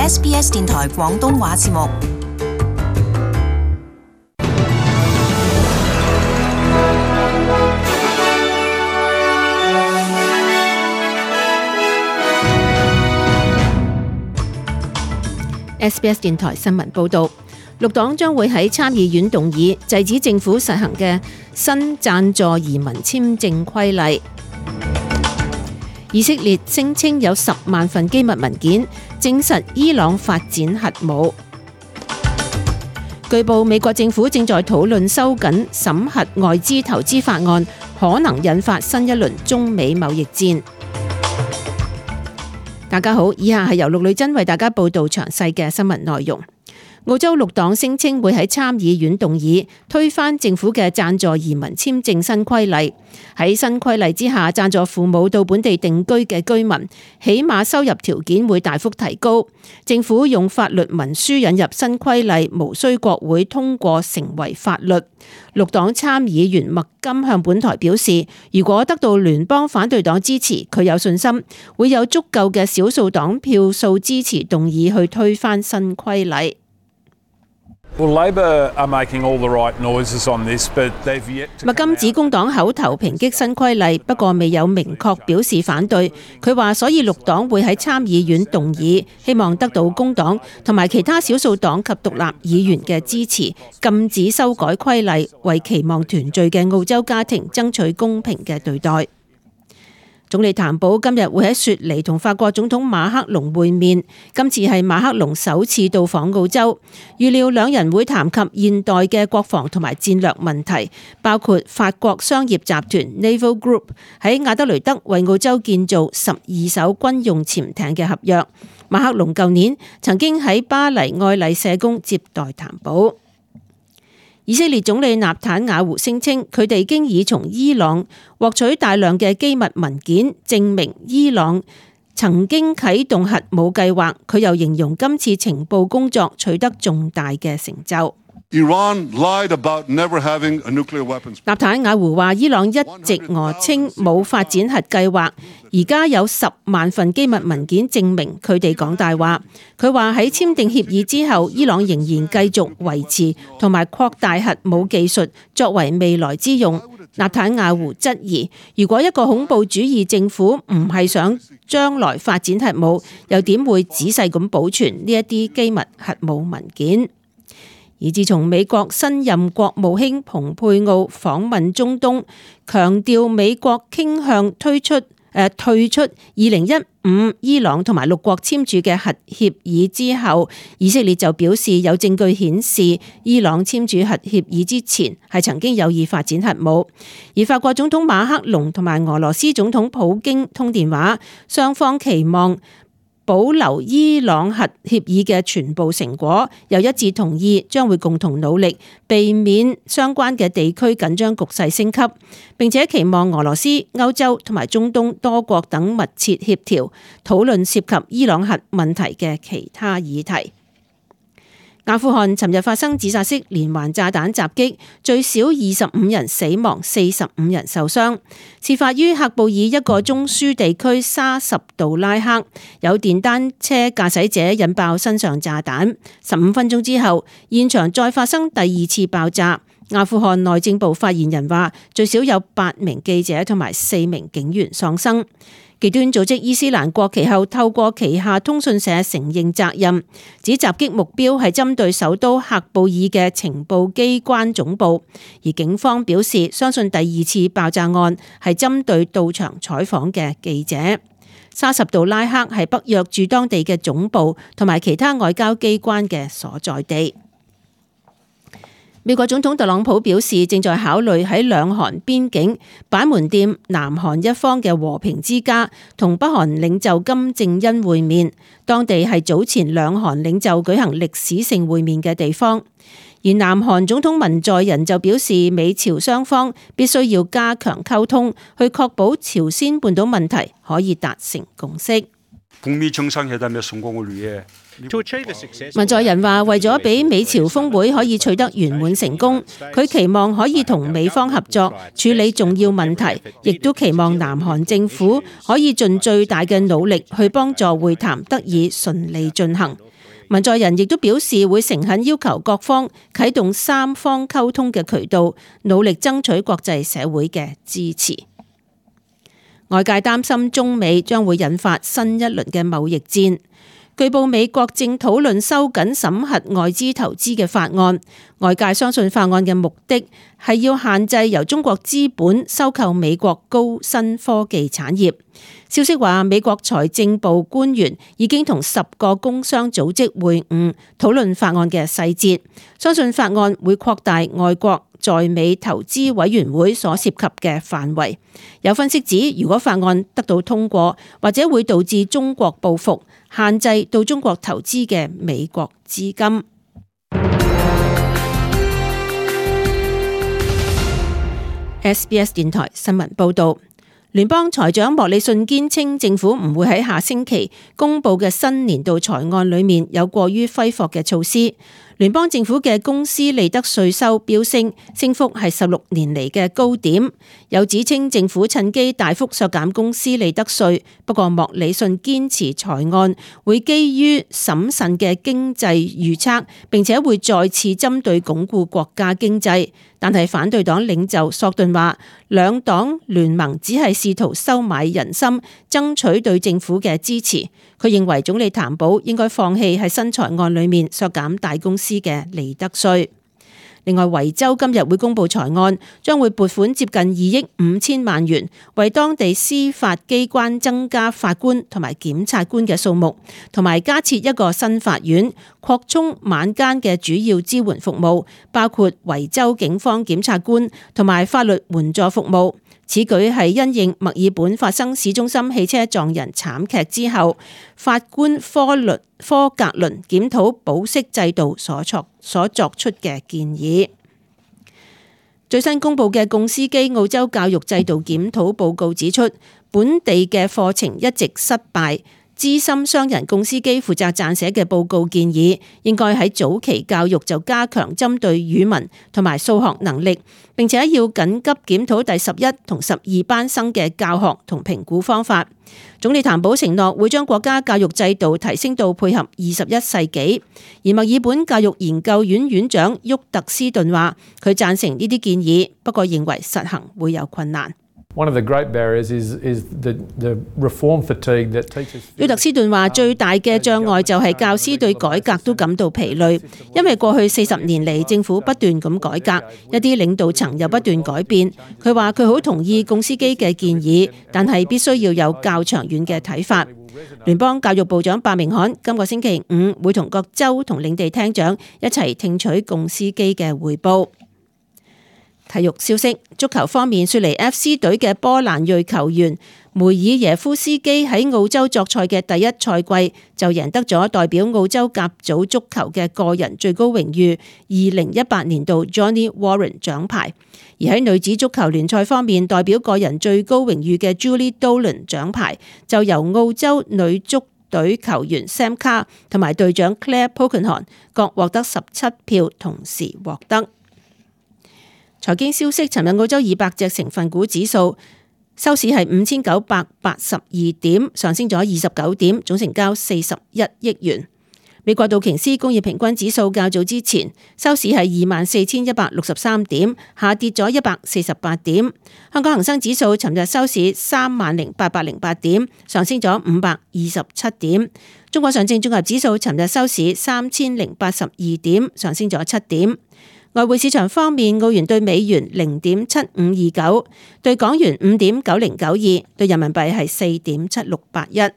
SBS 電台廣東話節目。SBS 電台新聞報導，綠黨將會喺參議院動議制止政府實行嘅新贊助移民簽證規例。以色列聲稱有10萬份機密文件，證實伊朗發展核武。據報，美國政府正在討論收緊審核外資投資法案，可能引發新一輪中美貿易戰。大家好，以下係由陸女真為大家報道詳細嘅新聞內容。澳洲綠黨聲稱會喺參議院動議推翻政府嘅贊助移民簽證新規例。喺新規例之下，贊助父母到本地定居嘅居民，起碼收入條件會大幅提高。政府用法律文書引入新規例，無需國會通過成為法律。綠黨參議員麥金向本台表示，如果得到聯邦反對黨支持，佢有信心會有足夠嘅少數黨票數支持動議去推翻新規例。麥金指工黨口頭抨擊新規例，不過未有明確表示反對。佢話，所以綠黨會喺參議院動議，希望得到工黨同埋其他少數黨及獨立議員嘅支持，禁止修改規例，為期望團聚嘅澳洲家庭爭取公平嘅對待。總理譚寶今日會喺雪梨同法國總統馬克龍會面，今次係馬克龍首次到訪澳洲，預料兩人會談及現代嘅國防同埋戰略問題，包括法國商業集團 Naval Group 喺亞德雷德為澳洲建造12艘軍用潛艇嘅合約。馬克龍舊年曾經喺巴黎愛麗舍宮接待譚寶。以色列總理納坦雅胡聲稱，佢哋經已從伊朗獲取大量嘅機密文件，證明伊朗曾經啟動核武計劃。佢又形容今次情報工作取得重大嘅成就。納坦雅胡話，伊朗一直訛稱冇發展核計劃，而家有10萬份機密文件證明佢哋講大話。佢話喺簽訂協議之後，伊朗仍然繼續維持同埋擴大核武技術作為未來之用。納坦雅胡質疑，如果一個恐怖主義政府唔係想將來發展核武，又點會仔細咁保存呢一啲機密核武文件？而自從美國新任國務卿蓬佩奧訪問中東，強調美國傾向退出2015伊朗同埋6國簽署嘅核協議之後，以色列就表示有證據顯示伊朗簽署核協議之前係曾經有意發展核武。而法國總統馬克龍同埋俄羅斯總統普京通電話，雙方期望保留伊朗核協議嘅全部成果，又一致同意將會共同努力避免相關嘅地區緊張局勢升級，並且期望俄羅斯、歐洲同埋中東多國等密切協調，討論涉及伊朗核問題嘅其他議題。阿富汗尋日發生自殺式連環炸彈襲擊，最少25人死亡，45人受傷。事發於喀布爾一個中樞地區沙什杜拉克，有電單車駕駛者引爆身上炸彈。15分鐘之後，現場再發生第2次爆炸。阿富汗內政部發言人話，最少有8名記者同埋4名警員喪生。極端組織伊斯蘭國其後透過旗下通訊社承認責任，指襲擊目標係針對首都喀布爾嘅情報機關總部，而警方表示相信第2次爆炸案係針對到場採訪嘅記者。沙什杜拉克係北約駐當地嘅總部同埋其他外交機關嘅所在地。美國總統特朗普表示，正在考慮喺兩韓邊境板門店南韓一方嘅和平之家同北韓領袖金正恩會面，當地係早前兩韓領袖舉行歷史性會面嘅地方。而南韓總統文在寅就表示，美朝雙方必須要加強溝通，去確保朝鮮半島問題可以達成共識。 북미 정상회담의 성공을 위해文在寅話：為咗俾美朝峰會可以取得圓滿成功，佢期望可以同美方合作處理重要問題，亦都期望南韓政府可以盡最大嘅努力去幫助會談得以順利進行。文在寅亦都表示會誠懇要求各方啟動三方溝通嘅渠道，努力爭取國際社會嘅支持。外界擔心中美將會引發新一輪嘅貿易戰。據報美國正討論收緊審核外資投資嘅法案，外界相信法案嘅目的係要限制由中國資本收購美國高新科技產業。消息話，美國財政部官員已經同10個工商組織會晤，討論法案嘅細節，相信法案會擴大外國在美投資委員會所涉及嘅範圍。有分析指，如果法案得到通過，或者會導致中國報復，限制到中國投資嘅美國資金。SBS 電台新聞報導，聯邦財長莫里遜堅稱政府唔會喺下星期公佈嘅新年度財案裡面有過於揮霍嘅措施。聯邦政府嘅公司利得稅收飆升，升幅係16年嚟嘅高點。有指稱政府趁機大幅削減公司利得稅，不過莫里遜堅持財案會基於審慎嘅經濟預測，並且會再次針對鞏固國家經濟。但係反對黨領袖索頓話，兩黨聯盟只係試圖收買人心，爭取對政府嘅支持。佢認為總理譚寶應該放棄喺新財案裏面削減大公司嘅利得稅。另外，維州今日會公布財案，將會撥款接近2億5千萬元，為當地司法機關增加法官同埋檢察官嘅數目，同埋加設一個新法院，擴充晚間嘅主要支援服務，包括維州警方檢察官同埋法律援助服務。此舉係因應墨爾本發生市中心汽車撞人慘劇之後，法官科格倫檢討保釋制度所作出嘅建議。最新公布嘅共司機澳洲教育制度檢討報告指出，本地嘅課程一直失敗。資深商人共司機負責撰寫嘅報告建議，應該喺早期教育就加強針對語文同埋數學能力，並且要緊急檢討第11同12班生嘅教學同評估方法。總理譚寶承諾會將國家教育制度提升到配合21世紀。而墨爾本教育研究院院長沃特斯頓話，佢贊成呢啲建議，不過認為實行會有困難。One of the great barriers is the reform fatigue that teachers. 沃特斯頓話：最大嘅障礙就係教師對改革都感到疲累，因為過去40年嚟政府不斷咁改革，一啲領導層又不斷改變。佢話佢好同意共司機嘅建議，但係必須要有較長遠嘅睇法。聯邦教育部長白明翰今個星期5會同各州同領地廳長一齊聽取共司機嘅彙報。體育消息，足球方面，雪梨 FC 隊嘅波蘭裔球員梅爾耶夫斯基喺澳洲作賽嘅第一賽季就贏得咗代表澳洲甲組足球嘅個人最高榮譽2018年度 Johnny Warren 獎牌。而喺女子足球聯賽方面，代表個人最高榮譽嘅 Julie Dolan 獎牌就由澳洲女足隊球員 Sam Carr 同埋隊長 Claire Polkinghorne 各獲得17票，同時獲得。財經消息，尋日澳洲200隻成分股指數收市係5982點，上升咗29點，總成交41億元。美國道瓊斯工業平均指數較早之前收市係24,163點，下跌咗148點。香港恒生指數尋日收市30,808點，上升咗527點。中國上證綜合指數尋日收市3082點，上升咗7點。外匯市場方面，澳元對美元0.7529，對港元5.9092，對人民幣係4.7681。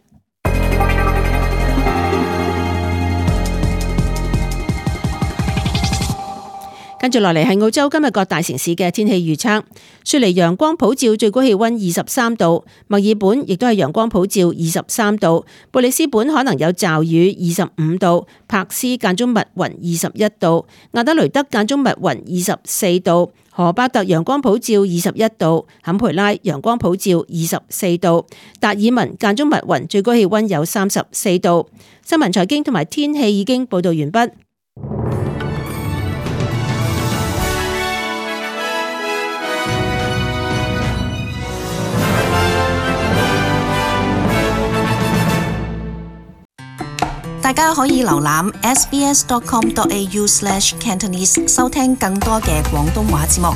跟住落嚟係澳洲今日各大城市嘅天氣預測。雪梨陽光普照，最高氣溫23度；墨爾本亦都係陽光普照23度；布里斯本可能有驟雨25度；柏斯間中密雲21度；亞德雷德間中密雲24度；荷巴特陽光普照21度；坎培拉陽光普照24度；達爾文間中密雲，最高氣溫有34度。新聞財經同埋天氣已經報道完畢。大家可以瀏覽 sbs.com.au/cantonese 收聽更多嘅廣東話節目。